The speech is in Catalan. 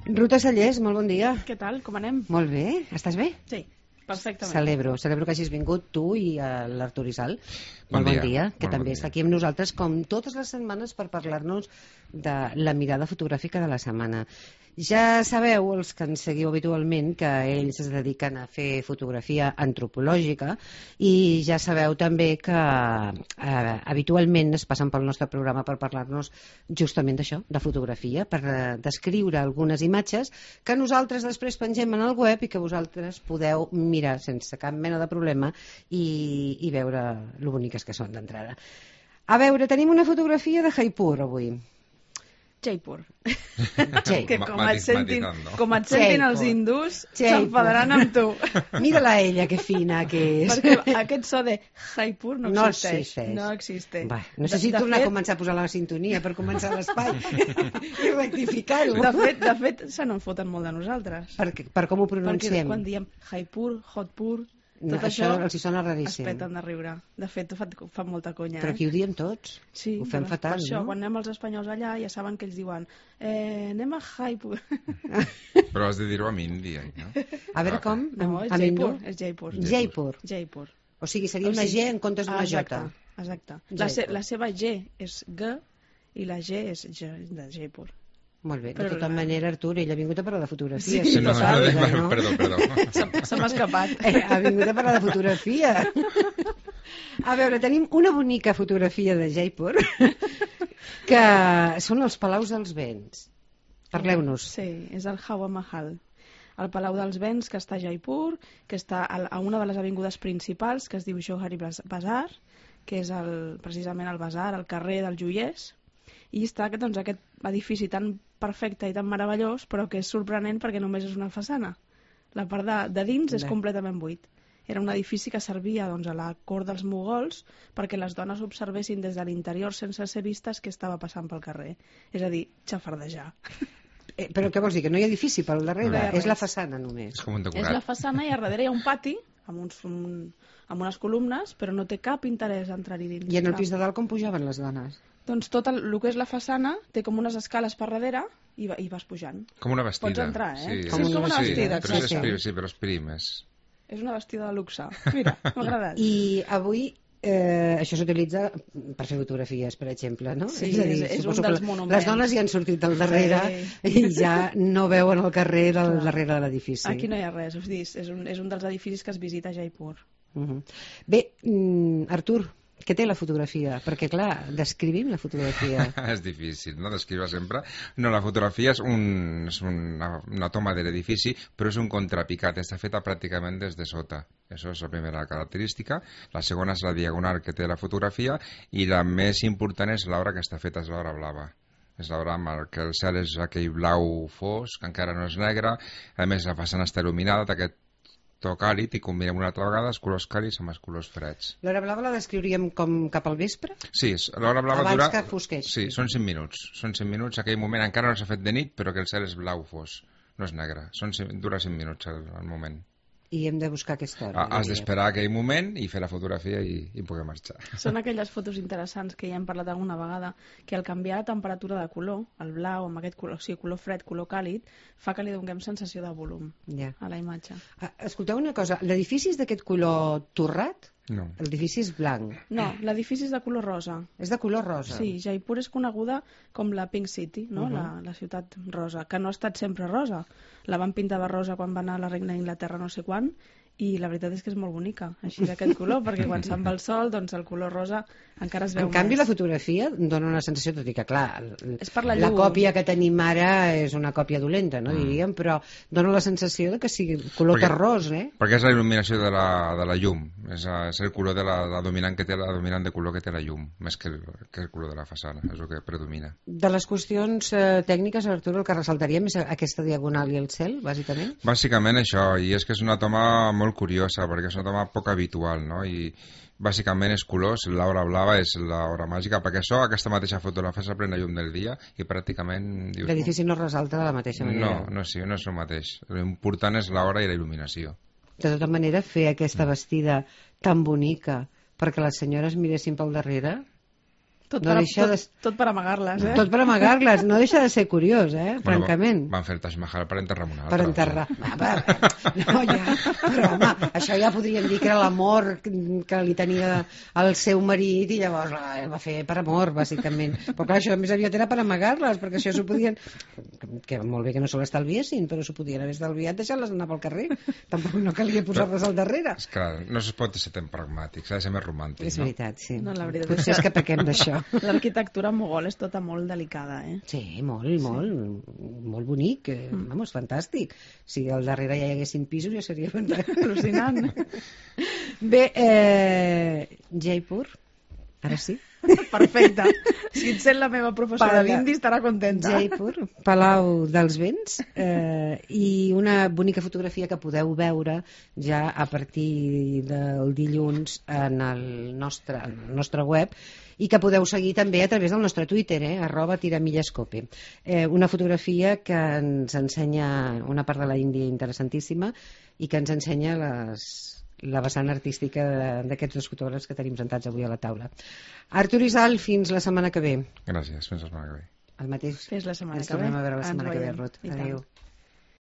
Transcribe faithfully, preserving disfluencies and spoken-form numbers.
Ruta Sallés, molt bon dia. Què tal? Com anem? Molt bé. Estàs bé? Sí, perfectament. Celebro, celebro que hagis vingut tu i l'Artur Isal. Bon molt bon dia. dia, que Molt també bon està dia. aquí amb nosaltres com totes les setmanes per parlar-nos de la mirada fotogràfica de la setmana. Ja sabeu, els que ens seguiu habitualment, que ells es dediquen a fer fotografia antropològica i ja sabeu també que eh, habitualment es passen pel nostre programa per parlar-nos justament d'això, de fotografia, per eh, descriure algunes imatges que nosaltres després pengem en el web i que vosaltres podeu mirar sense cap mena de problema i, i veure lo boniques que són d'entrada. A veure, tenim una fotografia de Jaipur avui. Jaipur. Jai. Que com et sentin, Matizando. com et sentin Jaipur. els hindús, Jaipur. s'enfadaran amb tu. Mira-la ella, que fina que és. Perquè aquest so de Jaipur no No existeix. existeix. No existeix. Va, necessito de, de tornar fet, a començar a posar la sintonia per començar l'espai i rectificar-ho. De fet, de fet se n'en foten molt de nosaltres. Per, per com ho Perquè pronunciem. quan diem Jaipur, Hotpur, No, tot això això, els hi sona es raríssim. peten de riure. De fet, fa, fa molta conya. Però aquí ho diem tots. Sí, ho fem però fatal, per això, no? quan anem els espanyols allà ja saben que ells diuen eh, anem a Jaipur. Però has de dir-ho amb indi, eh, no? A veure com? No, és Amb Jaipur. hindú? És Jaipur. Jaipur. Jaipur. O sigui, seria O una sigui, G en comptes d'una exacte, J. Exacte. La, se, Jaipur. la seva G és G i la G és G de Jaipur. Molt bé, de Però tota la- manera, Artur, ell ha vingut a parlar de fotografia. Sí, si no, no no, saps, no, no? perdó, perdó. Se, se m'ha escapat. Eh, ha vingut a parlar de fotografia. A veure, tenim una bonica fotografia de Jaipur que són els Palaus dels Vents. Parleu-nos. Sí, és el Hawa Mahal. El Palau dels Vents, que està a Jaipur, que està a a una de les avingudes principals, que es diu Johari Bazar, que és el, precisament el bazar, el carrer dels joiers, i està doncs, aquest edifici tan perfecte i tan meravellós, però que és sorprenent perquè només és una façana. La part de, de dins és Bé. completament buit. Era un edifici que servia doncs, a la cort dels mogols perquè les dones observessin des de l'interior sense ser vistes què estava passant pel carrer. És a dir, xafardejar. Eh, però què vols dir? Que no hi ha edifici pel darrere? No hi ha És la res. façana només. És com un És la decorat. façana i a darrere hi ha un pati amb, uns, un, amb unes columnes, però no té cap interès a entrar-hi dins. I en el Cap. pis de dalt com pujaven les dones? Doncs tot el, el que és la façana té com unes escales per darrere i, va, i vas pujant. Com una vestida. Pots entrar, eh? Sí, Com és- una sí, vestida, però és, exacte. prim, sí, però és prim. És... És una vestida de luxe. Mira, m'ha agradat. I avui eh, això s'utilitza per fer fotografies, per exemple, no? Sí, és, a dir, és- és un suposo que dels la- monuments. les dones hi han sortit al darrere i ja no veuen el carrer del Clar. darrere de l'edifici. Aquí no hi ha res, us dic, és un, és un dels edificis que es visita a Jaipur. Uh -huh. Bé, mm, Artur, què té la fotografia? Perquè, clar, descrivim la fotografia. és difícil, no?, descriure sempre. No, la fotografia és, un, és una, una toma de l'edifici, però és un contrapicat, està feta pràcticament des de sota. Això és la primera característica. La segona és la diagonal que té la fotografia i la més important és l'obra que està feta, és l'obra blava. És l'obra amb el que el cel és aquell blau fosc, que encara no és negre, a més la façana està il·luminada d'aquest to càlid i combinem una altra vegada els colors càlids amb els colors freds. L'hora blava la descriuríem com cap al vespre? Sí, és- l'hora blava Abans dura... que fosqués. Sí, són cinc minuts. Són cinc minuts, aquell moment encara no s'ha fet de nit, però que el cel és blau fos, no és negre. Són cinc, dura cinc minuts el, el moment. I hem de buscar aquesta hora. Ah, has d'esperar aquell moment i fer la fotografia i, i poder marxar. Són aquelles fotos interessants que ja hem parlat alguna vegada, que al canviar la temperatura de color, el blau amb aquest color, o sigui, color fred, color càlid, fa que li donem sensació de volum Ja. a la imatge. Ah, escolteu una cosa, l'edifici és d'aquest color torrat? No. L'edifici és blanc. No, l'edifici és de color rosa. És de color rosa. Sí, Jaipur és coneguda com la Pink City, no? Uh -huh. la, la ciutat rosa, que no ha estat sempre rosa. La van pintar de rosa quan va anar a la reina d'Inglaterra no sé quan, i la veritat és que és molt bonica, així d'aquest color, perquè quan se'n va el sol, doncs el color rosa encara es veu En canvi, més. la fotografia dona una sensació, tot i que, clar, l- És per la la llum. còpia que tenim ara és una còpia dolenta, no, diríem, però dona la sensació de que sigui color Perquè- terrós, eh? Perquè és la il·luminació de la, de la llum, és, a- és el color de la, la dominant que té la dominant de color que té la llum, més que el, que el color de la façana, és el que predomina. De les qüestions eh, tècniques, Artur, el que ressaltaríem és aquesta diagonal i el cel, bàsicament? Bàsicament això, i és que és una toma molt curiosa, perquè és una toma poc habitual, no? I bàsicament és colors, l'hora blava és l'hora màgica, perquè això, aquesta mateixa foto la fas a plena llum del dia i pràcticament... dius, L'edifici no ressalta de la mateixa manera. No, no, sí, no és el mateix. L'important és l'hora i la il·luminació. De tota manera, fer aquesta vestida tan bonica perquè les senyores miressin pel darrere Tot, no per, deixa tot, de... tot per amagar-les, eh? Tot per amagar-les, no deixa de ser curiós, eh? Bueno, francament. van fer el Taj Mahal per enterrar amb una altra. Per enterrar. Va, va, no, ja, però home, això ja podríem dir que era l'amor que li tenia al seu marit i llavors el va fer per amor, bàsicament. Però clar, això més aviat era per amagar-les, perquè això s'ho podien... Que molt bé que no se l'estalviessin, però s'ho podien haver estalviat deixant-les anar pel carrer. Tampoc no calia posar-les al darrere. És clar, no es pot ser tan pragmàtic, s'ha de ser més romàntic, És no? veritat, sí. No, la veritat Potser és que- és que pequem d'això. L'arquitectura mogol és tota molt delicada, eh? Sí, molt, molt, molt bonic, eh, vamos, fantàstic. Si al darrere ja hi haguessin pisos ja seria Al·lucinant. Bé, eh, Jaipur, ara sí. Perfecte. Si et sent la meva professora Para- d'indi estarà contenta. Jaipur, Palau dels Vents, eh, i una bonica fotografia que podeu veure ja a partir del dilluns en el nostre, en el nostre web, i que podeu seguir també a través del nostre Twitter, eh, arroba tiramillescope. Eh, una fotografia que ens ensenya una part de la Índia interessantíssima i que ens ensenya les, la vessant artística de- d'aquests dos fotògrafs que tenim sentats avui a la taula. Artur Isal, fins la setmana que ve. Gràcies, fins la setmana que ve. El mateix. Fes la setmana Ens que ve. tornem a veure la Ens setmana que ve, veiem. Ruth. I tant. Adéu.